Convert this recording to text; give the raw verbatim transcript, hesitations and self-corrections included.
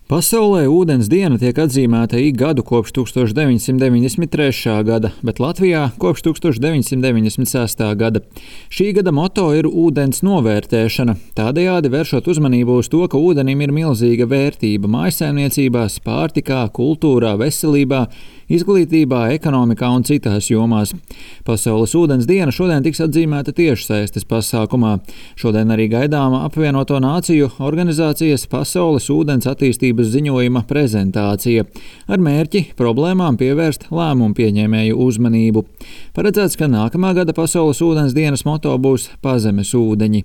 Pasaulē ūdens diena tiek atzīmēta ik gadu kopš tūkstoš deviņsimt deviņdesmit trešā gada, bet Latvijā kopš tūkstoš deviņsimt deviņdesmit sestā gada. Šī gada moto ir ūdens novērtēšana, tādējādi vēršot uzmanību uz to, ka ūdenim ir milzīga vērtība mājsaimniecībās, pārtikā, kultūrā, veselībā, izglītībā, ekonomikā un citās jomās. Pasaules ūdens diena šodien tiks atzīmēta tiešsaistes pasākumā. Šodien arī gaidāma apvienoto nāciju organizācijas Pasaules ūdens attīstības ziņojuma prezentācija ar mērķi problēmām pievērst lēmumu pieņēmēju uzmanību. Paredzēts, ka nākamā gada Pasaules ūdens dienas moto būs Pazemes ūdeņi.